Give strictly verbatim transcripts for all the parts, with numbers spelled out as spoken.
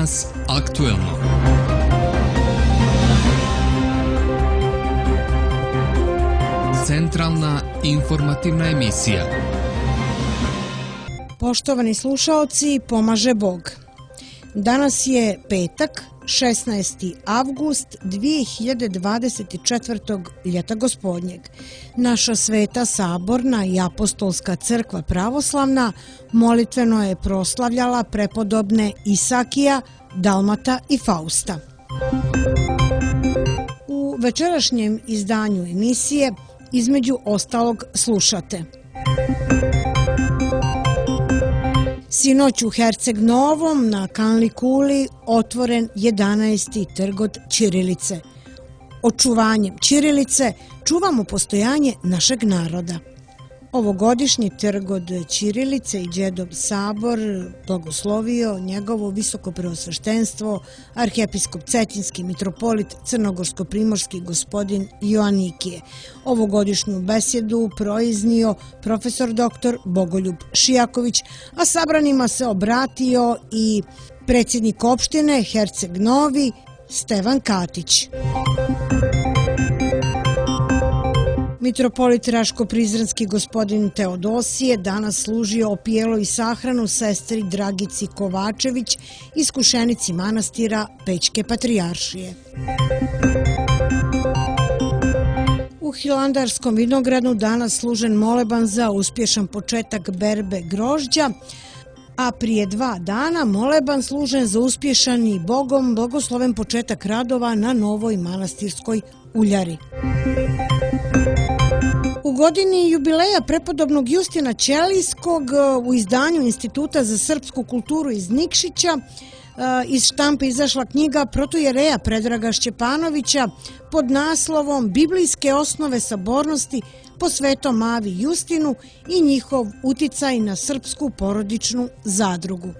Danas aktuelno. Centralna informativna emisija. Poštovani slušaoci, pomaže Bog. Danas je petak, šesnaesti avgust dvije hiljade dvadeset četvrte. ljeta gospodnjeg. Naša sveta saborna i apostolska crkva pravoslavna molitveno je proslavljala prepodobne Isakija, Dalmata i Fausta. U večerašnjem izdanju emisije između ostalog slušate: sinoć u Herceg Novom na Kanli Kuli otvoren jedanaesti trgod ćirilice. Očuvanjem ćirilice čuvamo postojanje našeg naroda. Ovogodišnji trgod ćirilice i Đedov sabor blagoslovio njegovo visoko preosveštenstvo arhijepiskop Cetinski mitropolit crnogorsko-primorski gospodin Joanikije. Ovogodišnju besjedu proiznio profesor doktor Bogoljub Šijaković, a sabranima se obratio i predsjednik opštine Herceg Novi Stevan Katić. Mitropolit Raško-Prizrenski gospodin Teodosije danas služio opijelo i sahranu sestri Dragici Kovačević, iskušenici manastira Pećke patrijaršije. U Hilandarskom vinogradu danas služen moleban za uspješan početak berbe grožđa, a prije dva dana moleban služen za uspješan i Bogom blagosloven početak radova na novoj manastirskoj uljari. U godini jubileja prepodobnog Justina Ćelijskog u izdanju Instituta za srpsku kulturu iz Nikšića iz štampe izašla knjiga protojereja Predraga Šćepanovića pod naslovom Biblijske osnove sabornosti po Svetom Avi Justinu i njihov uticaj na srpsku porodičnu zadrugu.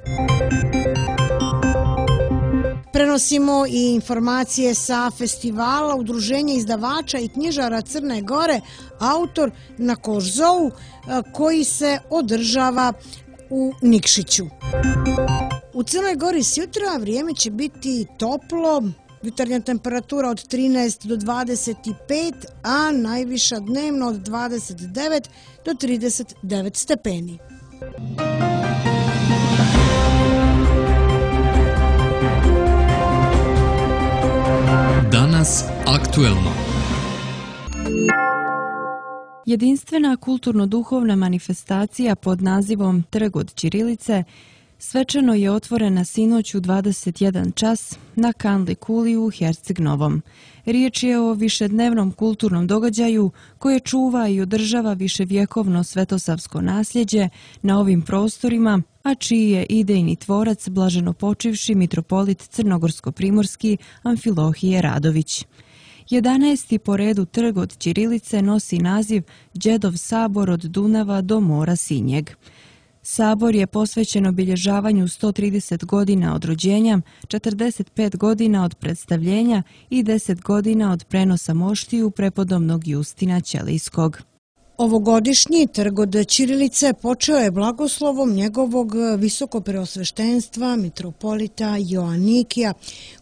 Prenosimo i informacije sa festivala Udruženja izdavača i knjižara Crne Gore, autor na Kožzou, koji se održava u Nikšiću. U Crnoj Gori sjutra vrijeme će biti toplo, jutarnja temperatura od trinaest do dvadeset pet, a najviša dnevno od dvadeset devet do trideset devet stepeni. Danas aktuelno. Jedinstvena kulturno-duhovna manifestacija pod nazivom Trg od ćirilice svečano je otvorena sinoć u dvadeset jedan čas na Kanli Kuli u Herceg Novom. Riječ je o višednevnom kulturnom događaju koje čuva i održava viševjekovno svetosavsko nasljeđe na ovim prostorima, a čiji je idejni tvorac blaženopočivši mitropolit crnogorsko-primorski Amfilohije Radović. jedanaesti po redu trg od ćirilice nosi naziv Đedov sabor od Dunava do mora Sinjeg. Sabor je posvećen obilježavanju sto trideset godina od rođenja, četrdeset pet godina od predstavljenja i deset godina od prenosa moštiju prepodobnog Justina Ćelijskog. Ovogodišnji trg od ćirilice počeo je blagoslovom njegovog visoko preosveštenstva mitropolita Joanikija,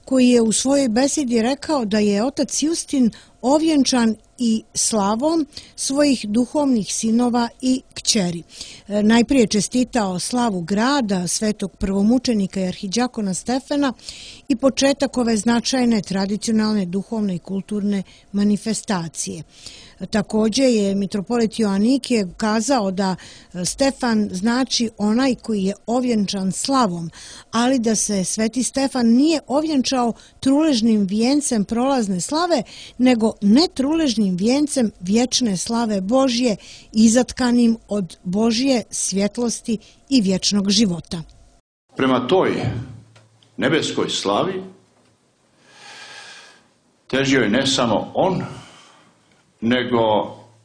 koji je u svojoj besedi rekao da je otac Justin ovjenčan i slavom svojih duhovnih sinova i kćeri. Najprije čestitao slavu grada, svetog prvomučenika i arhidjakona Stefana i početak ove značajne tradicionalne duhovne i kulturne manifestacije. Također je mitropolit Joanikije kazao da Stefan znači onaj koji je ovjenčan slavom, ali da se sveti Stefan nije ovjenčao truležnim vijencem prolazne slave, nego netruležnim vijencem vječne slave Božje, izatkanim od Božje svjetlosti i vječnog života. Prema toj nebeskoj slavi težio je ne samo on, nego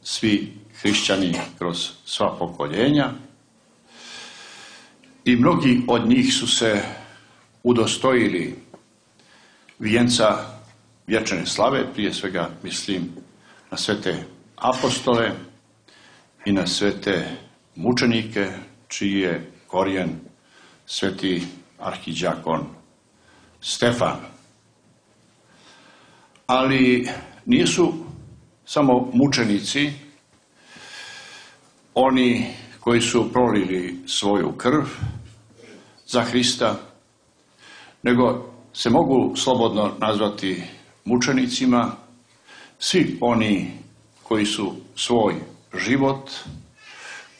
svi hrišćani kroz sva pokoljenja, i mnogi od njih su se udostojili vijenca vječne slave, prije svega mislim na sve te apostole i na sve te mučenike čiji je korijen sveti arhidjakon Stefan. Ali nisu samo mučenici oni koji su prolili svoju krv za Hrista, nego se mogu slobodno nazvati mučenicima svi oni koji su svoj život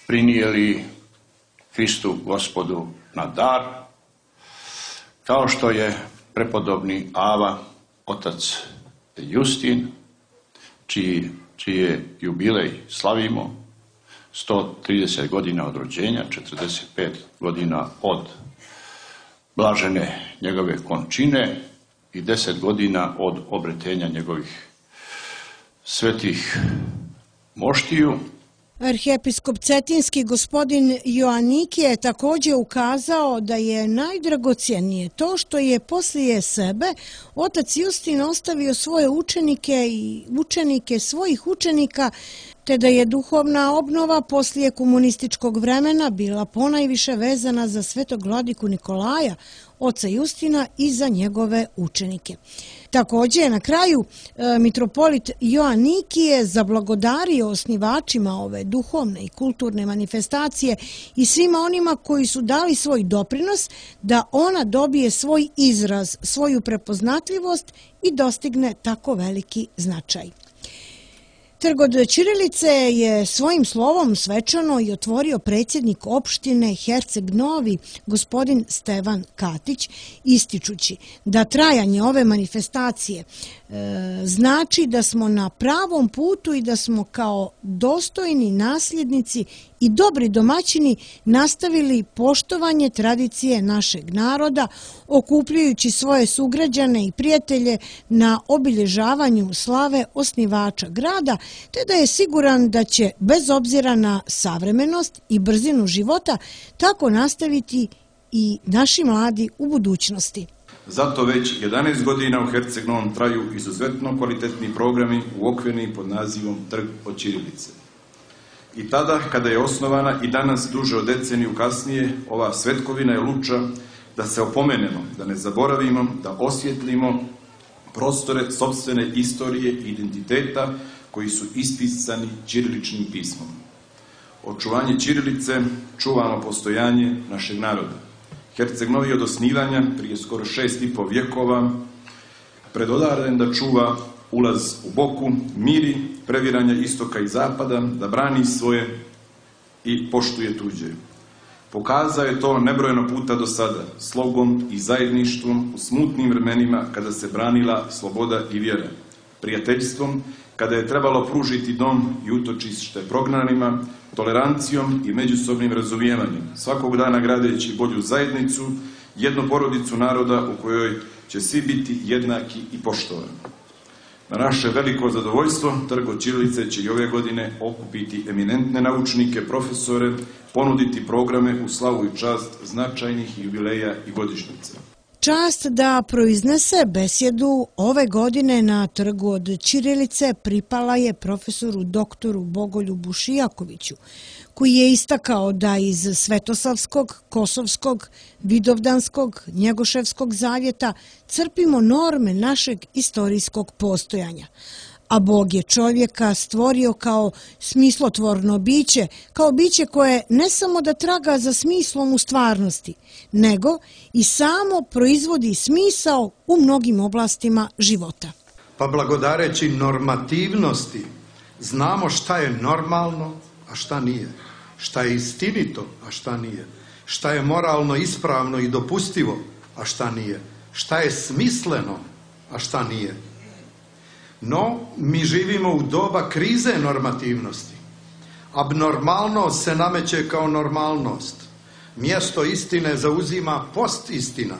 prinijeli Hristu Gospodu na dar, kao što je prepodobni Ava, otac Justin, čiji, čije jubilej slavimo, sto trideset godina od rođenja, četrdeset pet godina od blažene njegove končine i deset godina od obretenja njegovih svetih moštiju. Arhijepiskop Cetinski gospodin Joaniki je također ukazao da je najdragocjenije to što je poslije sebe otac Justin ostavio svoje učenike i učenike svojih učenika, te da je duhovna obnova poslije komunističkog vremena bila ponajviše vezana za svetog vladiku Nikolaja, oca Justina i za njegove učenike. Također na kraju mitropolit Joaniki je zablagodario osnivačima ove duhovne i kulturne manifestacije i svima onima koji su dali svoj doprinos da ona dobije svoj izraz, svoju prepoznatljivost i dostigne tako veliki značaj. Trg od ćirilice je svojim slovom svečano i otvorio predsjednik opštine Herceg Novi, gospodin Stevan Katić, ističući da trajanje ove manifestacije e, znači da smo na pravom putu i da smo kao dostojni nasljednici i dobri domaćini nastavili poštovanje tradicije našeg naroda, okupljujući svoje sugrađane i prijatelje na obilježavanju slave osnivača grada, te da je siguran da će, bez obzira na savremenost i brzinu života, tako nastaviti i naši mladi u budućnosti. Zato već jedanaest godina u Herceg Novom traju izuzetno kvalitetni programi uokvireni pod nazivom Trg od ćirilice. I tada, kada je osnovana i danas duže od deceniju kasnije, ova svetkovina je luča da se opomenemo, da ne zaboravimo, da osvjetlimo prostore sopstvene istorije i identiteta koji su ispisani ćiriličnim pismom. Očuvanje ćirilice čuvamo postojanje našeg naroda. Herceg Novi od osnivanja prije skoro šest i po vjekova predodaren da čuva ulaz u Boku, miri previranja istoka i zapada, da brani svoje i poštuje tuđe. Pokazao je to nebrojeno puta do sada, slogom i zajedništvom u smutnim vremenima kada se branila sloboda i vjera, prijateljstvom kada je trebalo pružiti dom i utočište prognanima, tolerancijom i međusobnim razumijevanjem, svakog dana gradeći bolju zajednicu, jednu porodicu naroda u kojoj će svi biti jednaki i poštovani. Na naše veliko zadovoljstvo, Trg od ćirilice će i ove godine okupiti eminentne naučnike, profesore, ponuditi programe u slavu i čast značajnih jubileja i godišnjica. Čast da proiznese besjedu ove godine na Trgu od ćirilice pripala je profesoru doktoru Bogoljubu Šijakoviću, koji je istakao da iz Svetosavskog, Kosovskog, Vidovdanskog, Njegoševskog zavjeta crpimo norme našeg istorijskog postojanja. A Bog je čovjeka stvorio kao smislotvorno biće, kao biće koje ne samo da traga za smislom u stvarnosti, nego i samo proizvodi smisao u mnogim oblastima života. Pa blagodareći normativnosti znamo šta je normalno, a šta nije, šta je istinito, a šta nije, šta je moralno ispravno i dopustivo, a šta nije, šta je smisleno, a šta nije. No, mi živimo u doba krize normativnosti. Abnormalnost se nameće kao normalnost. Mjesto istine zauzima postistina.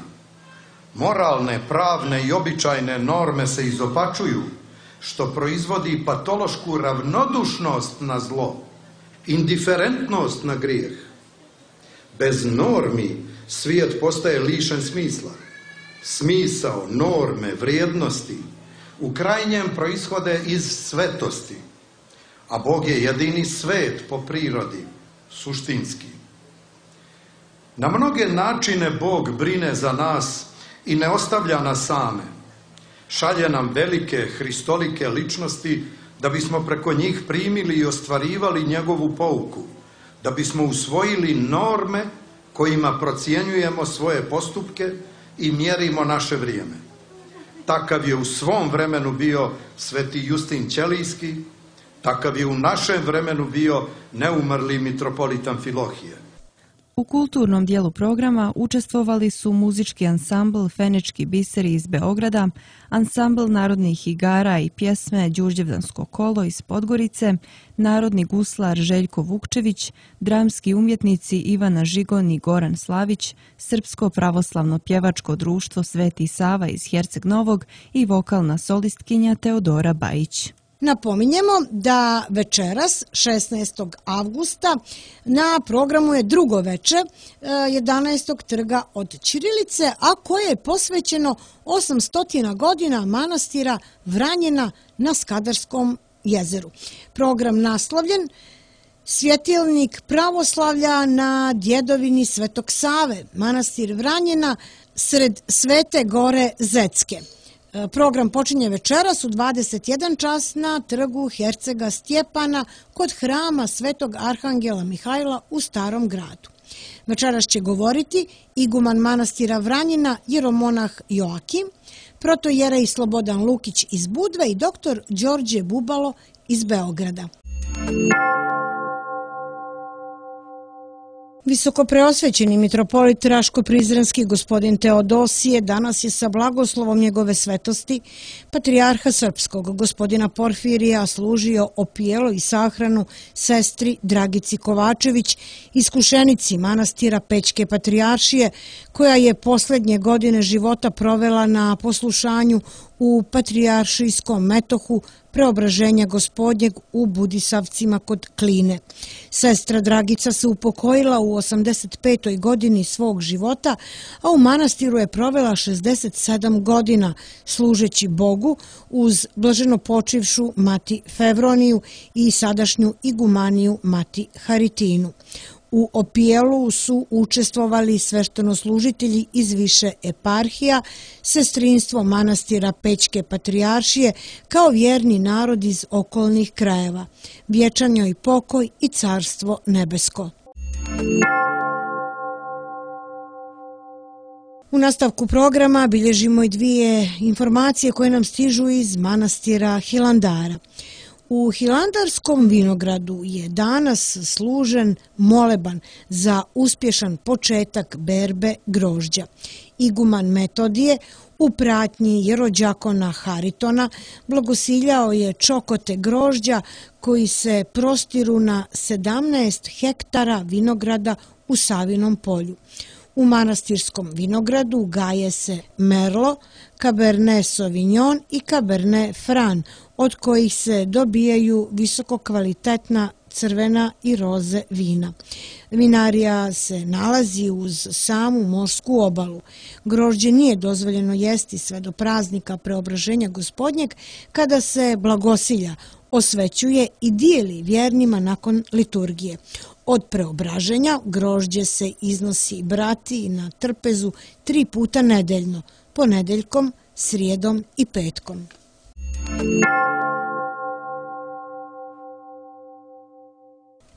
Moralne, pravne i običajne norme se izopačuju, što proizvodi patološku ravnodušnost na zlo, indiferentnost na grijeh. Bez normi svijet postaje lišen smisla. Smisao, norme, vrijednosti u krajnjem proishode iz svetosti, a Bog je jedini svet po prirodi, suštinski. Na mnoge načine Bog brine za nas i ne ostavlja nas same. Šalje nam velike hristolike ličnosti da bismo preko njih primili i ostvarivali njegovu pouku, da bismo usvojili norme kojima procjenjujemo svoje postupke i mjerimo naše vrijeme. Takav je u svom vremenu bio sveti Justin Ćelijski, takav je u našem vremenu bio neumrli mitropolit Amfilohije. U kulturnom dijelu programa učestvovali su muzički ansambl Fenički biseri iz Beograda, ansambl narodnih igara i pjesme Đurđevdansko kolo iz Podgorice, narodni guslar Željko Vukčević, dramski umjetnici Ivana Žigon i Goran Slavić, Srpsko pravoslavno pjevačko društvo Sveti Sava iz Herceg Novog i vokalna solistkinja Teodora Bajić. Napominjemo da večeras, šesnaestog avgusta, na programu je drugo veče jedanaestog trga od ćirilice, a koje je posvećeno osamstotina godina manastira Vranjena na Skadarskom jezeru. Program naslovljen Svjetilnik pravoslavlja na djedovini Svetog Save, manastir Vranjena sred Svete Gore Zetske. Program počinje večeras u dvadeset jedan čas na trgu Hercega Stjepana kod hrama Svetog Arhangela Mihajla u Starom gradu. Večeras će govoriti iguman manastira Vranjena jeromonah Joakim, protojerej Slobodan Lukić iz Budve i doktor Đorđe Bubalo iz Beograda. Visokopreosvećeni mitropolit Raško-Prizrenski gospodin Teodosije danas je sa blagoslovom njegove svetosti patrijarha srpskog gospodina Porfirija služio opijelo i sahranu sestri Dragici Kovačević, iskušenici manastira Pećke patrijaršije, koja je posljednje godine života provela na poslušanju u patrijaršijskom metohu Preobraženja Gospodnjeg u Budisavcima kod Kline. Sestra Dragica se upokojila u osamdeset petoj godini svog života, a u manastiru je provela šezdeset sedam godina, služeći Bogu uz blaženopočivšu mati Fevroniju i sadašnju igumaniju mati Haritinu. U opijelu su učestvovali sveštenoslužitelji iz više eparhija, sestrinstvo manastira Pećke patrijaršije, kao vjerni narod iz okolnih krajeva. Vječan joj pokoj i carstvo nebesko. U nastavku programa bilježimo i dvije informacije koje nam stižu iz manastira Hilandara. U Hilandarskom vinogradu je danas služen moleban za uspješan početak berbe grožđa. Iguman Metodije u pratnji jerođakona Haritona blagosiljao je čokote grožđa koji se prostiru na sedamnaest hektara vinograda u Savinom polju. U manastirskom vinogradu gaje se Merlo, Cabernet Sauvignon i Cabernet Franc, od kojih se dobijaju visokokvalitetna crvena i roze vina. Vinarija se nalazi uz samu morsku obalu. Grožđe nije dozvoljeno jesti sve do praznika Preobraženja Gospodnjeg, kada se blagosilja, osvećuje i dijeli vjernima nakon liturgije. Od preobraženja grožđe se iznosi brati na trpezu tri puta nedeljno, ponedeljkom, srijedom i petkom.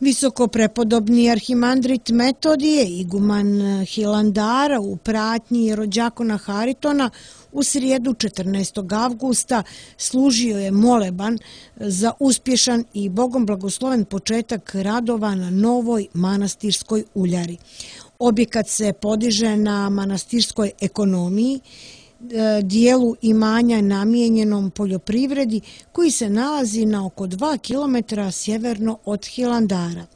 Visokoprepodobni arhimandrit Metodije, iguman Hilandara u pratnji jerođakona Haritona, u srijedu četrnaestog avgusta služio je moleban za uspješan i Bogom blagosloven početak radova na novoj manastirskoj uljari. Objekat se podiže na manastirskoj ekonomiji, dijelu imanja namijenjenom poljoprivredi koji se nalazi na oko dva kilometra sjeverno od Hilandara.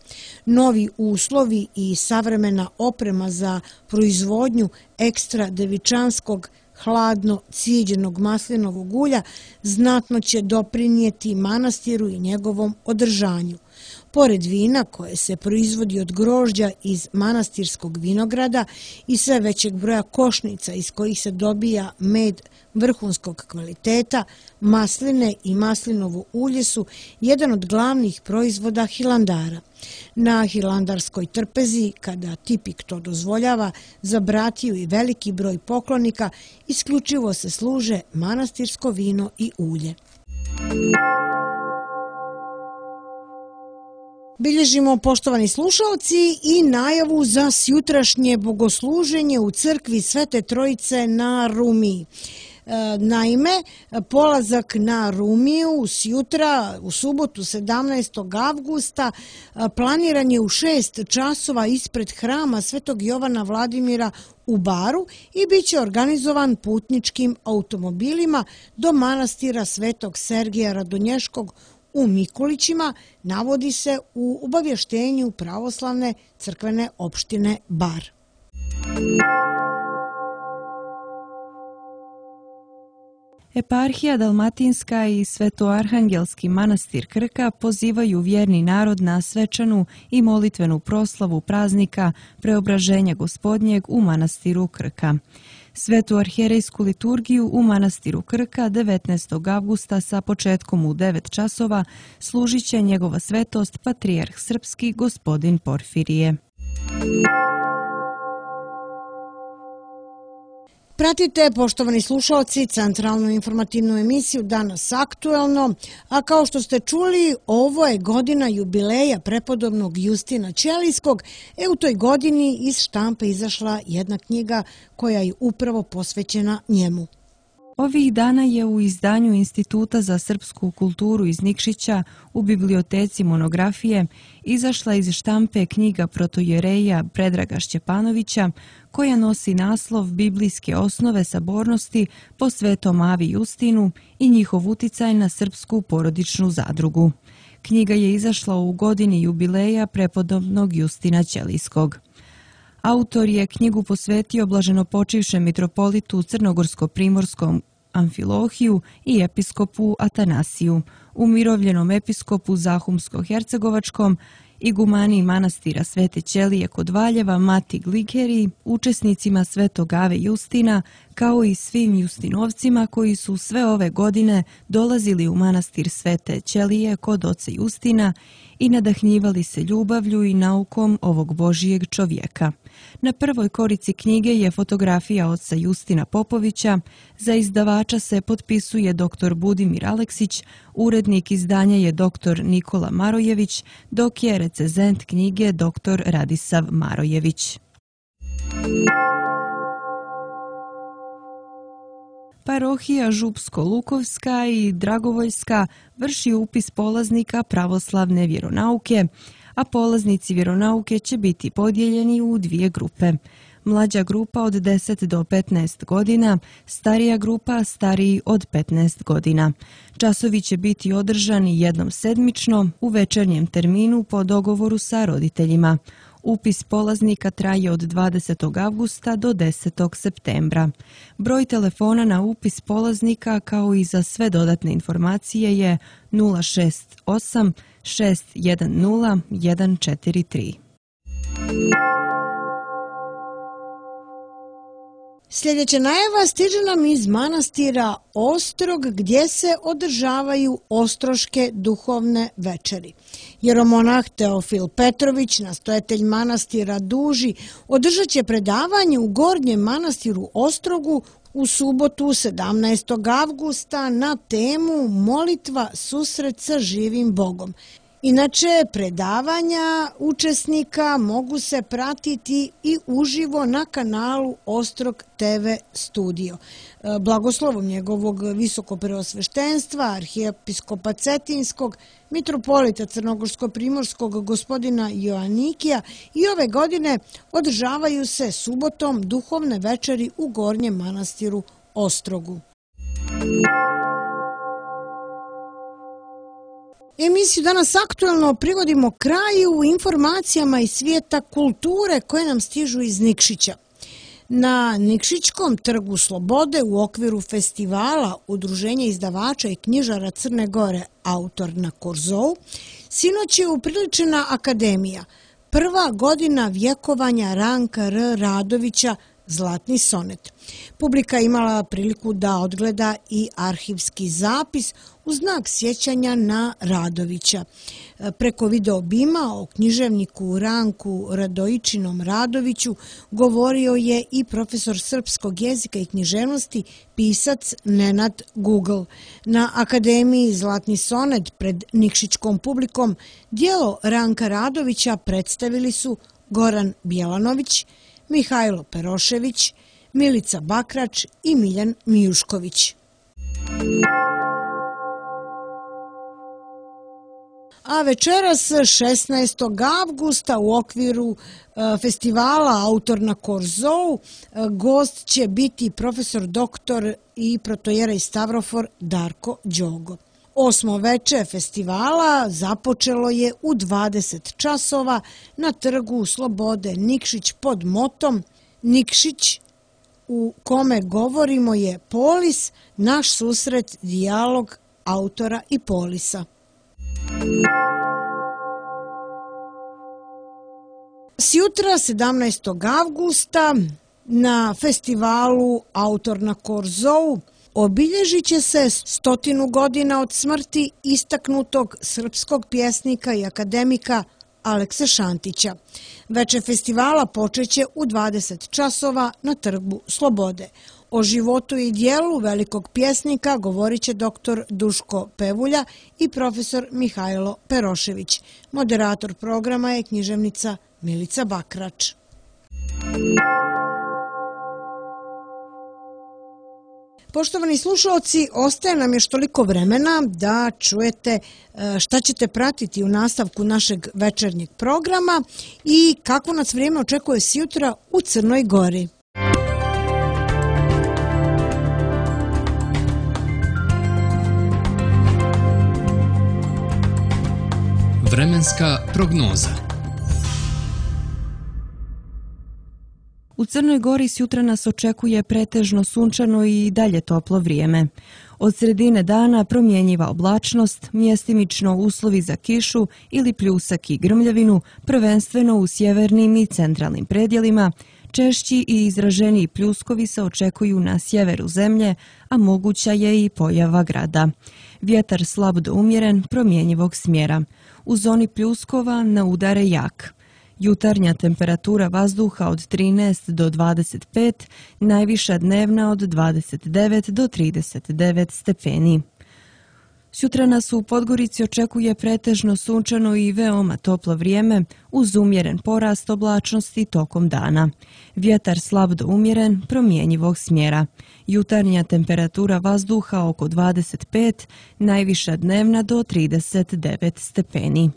Novi uslovi i savremena oprema za proizvodnju ekstra devičanskog hladno cijeđenog maslinovog ulja znatno će doprinijeti manastiru i njegovom održanju. Pored vina koje se proizvodi od grožđa iz manastirskog vinograda i sve većeg broja košnica iz kojih se dobija med vrhunskog kvaliteta, masline i maslinovo ulje su jedan od glavnih proizvoda Hilandara. Na hilandarskoj trpezi, kada tipik to dozvoljava, za bratiju i veliki broj poklonika isključivo se služe manastirsko vino i ulje. Bilježimo, poštovani slušalci, i najavu za sjutrašnje bogosluženje u crkvi Svete Trojice na Rumiji. Naime, polazak na Rumiju sjutra, u subotu sedamnaestog avgusta, planiran je u šest časova ispred hrama Svetog Jovana Vladimira u Baru i bit će organizovan putničkim automobilima do manastira Svetog Sergija Radonješkog u Mikulićima, navodi se u obavještenju pravoslavne crkvene opštine Bar. Eparhija Dalmatinska i Svetoarhangelski manastir Krka pozivaju vjerni narod na svečanu i molitvenu proslavu praznika Preobraženja Gospodnjeg u manastiru Krka. Svetu arhijerejsku liturgiju u manastiru Krka devetnaestog avgusta sa početkom u devet časova služit će njegova svetost patrijarh srpski gospodin Porfirije. Pratite, poštovani slušalci, centralnu informativnu emisiju Danas aktuelno, a kao što ste čuli, ovo je godina jubileja prepodobnog Justina Ćelijskog, e u toj godini iz štampe izašla jedna knjiga koja je upravo posvećena njemu. Ovih dana je u izdanju Instituta za srpsku kulturu iz Nikšića u biblioteci monografije izašla iz štampe knjiga protojereja Predraga Šćepanovića koja nosi naslov Biblijske osnove sabornosti po Svetom Avi Justinu i njihov uticaj na srpsku porodičnu zadrugu. Knjiga je izašla u godini jubileja prepodobnog Justina Ćelijskog. Autor je knjigu posvetio blaženopočivšem mitropolitu Crnogorsko-primorskom Amfilohiju i episkopu Atanasiju, umirovljenom episkopu Zahumsko-hercegovačkom, igumani manastira Svete Ćelije kod Valjeva Mati Glikeri, učesnicima Svetog Ave Justina, kao i svim Justinovcima koji su sve ove godine dolazili u manastir Svete Ćelije kod oca Justina i nadahnjivali se ljubavlju i naukom ovog Božijeg čovjeka. Na prvoj korici knjige je fotografija oca Justina Popovića, za izdavača se potpisuje doktor Budimir Aleksić, urednik izdanja je doktor Nikola Marojević, dok je recenzent knjige doktor Radisav Marojević. Parohija Župsko-Lukovska i Dragovoljska vrši upis polaznika pravoslavne vjeronauke, a polaznici vjeronauke će biti podijeljeni u dvije grupe. Mlađa grupa od deset do petnaest godina, starija grupa stariji od petnaest godina. Časovi će biti održani jednom sedmično u večernjem terminu po dogovoru sa roditeljima. Upis polaznika traje od dvadesetog avgusta do desetog septembra. Broj telefona na upis polaznika kao i za sve dodatne informacije je nula šest osam šest jedan nula jedan četiri tri. Sljedeća najava stiže nam iz manastira Ostrog gdje se održavaju ostroške duhovne večeri. Jeromonah Teofil Petrović, nastojatelj manastira Duži, održat će predavanje u Gornjem manastiru Ostrogu u subotu sedamnaestog avgusta na temu Molitva susret sa živim Bogom. Inače, predavanja učesnika mogu se pratiti i uživo na kanalu Ostrog te ve studio. Blagoslovom njegovog visokopreosveštenstva, arhijepiskopa Cetinskog, mitropolita Crnogorsko-primorskog gospodina Joanikija i ove godine održavaju se subotom duhovne večeri u Gornjem manastiru Ostrogu. Emisiju Danas aktuelno privodimo kraju informacijama iz svijeta kulture koje nam stižu iz Nikšića. Na Nikšićkom trgu Slobode u okviru festivala Udruženja izdavača i knjižara Crne Gore Autor na Korzou sinoć je upriličena akademija, prva godina vjekovanja Ranka R. Radovića Zlatni sonet. Publika imala priliku da odgleda i arhivski zapis u znak sjećanja na Radovića. Preko video bima o književniku Ranku Radojičinom Radoviću govorio je i profesor srpskog jezika i književnosti, pisac Nenad Google. Na Akademiji Zlatni sonet pred nikšićkom publikom djelo Ranka Radovića predstavili su Goran Bjelanović, Mihajlo Perošević, Milica Bakrač i Miljan Mijušković. A večeras šesnaestog avgusta u okviru festivala Autor na Korzou gost će biti profesor doktor i protojerej Stavrofor Darko Đogo. Osmo veče festivala započelo je u dvadeset časova na trgu Slobode Nikšić pod motom Nikšić u kome govorimo je polis, naš susret, dijalog autora i polisa. Sjutra, sedamnaestog avgusta, na festivalu Autor na Korzou obilježit će se stotinu godina od smrti istaknutog srpskog pjesnika i akademika Alekse Šantića. Veče festivala počeće u dvadeset časova na trgu Slobode. O životu i dijelu velikog pjesnika govorit će doktor Duško Pevulja i profesor Mihajlo Perošević. Moderator programa je književnica Milica Bakrač. Poštovani slušalci, ostaje nam još toliko vremena da čujete šta ćete pratiti u nastavku našeg večernjeg programa i kako nas vrijeme očekuje sjutra u Crnoj Gori. Vremenska prognoza. U Crnoj Gori sjutra nas očekuje pretežno sunčano i dalje toplo vrijeme. Od sredine dana promjenjiva oblačnost, mjestimično uslovi za kišu ili pljusak i grmljavinu, prvenstveno u sjevernim i centralnim predjelima, češći i izraženiji pljuskovi se očekuju na sjeveru zemlje, a moguća je i pojava grada. Vjetar slab do umjeren, promjenjivog smjera. U zoni pljuskova na udare jak. Jutarnja temperatura vazduha od trinaest do dvadeset pet, najviša dnevna od dvadeset devet do trideset devet stepeni. Sutra nas u Podgorici očekuje pretežno sunčano i veoma toplo vrijeme uz umjeren porast oblačnosti tokom dana. Vjetar slab do umjeren, promjenjivog smjera. Jutarnja temperatura vazduha oko dvadeset pet, najviša dnevna do trideset devet stepeni.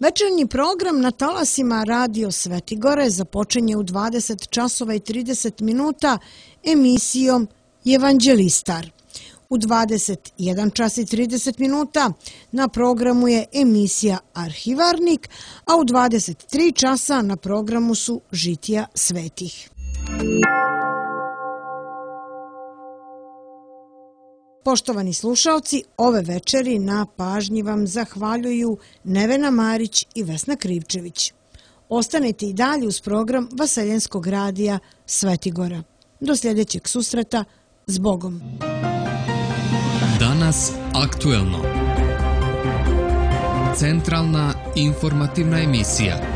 Večernji program na talasima Radio Svetigore započinje u dvadeset časova i trideset minuta emisijom Evanđelistar. U dvadeset jedan čas i trideset minuta na programu je emisija Arhivarnik, a u dvadeset tri časa na programu su Žitija svetih. Poštovani slušalci, ove večeri na pažnji vam zahvaljuju Nevena Marić i Vesna Krivčević. Ostanite i dalje uz program Vaseljenskog radija Svetigora. Do sljedećeg susreta, s Bogom. Danas aktuelno. Centralna informativna emisija.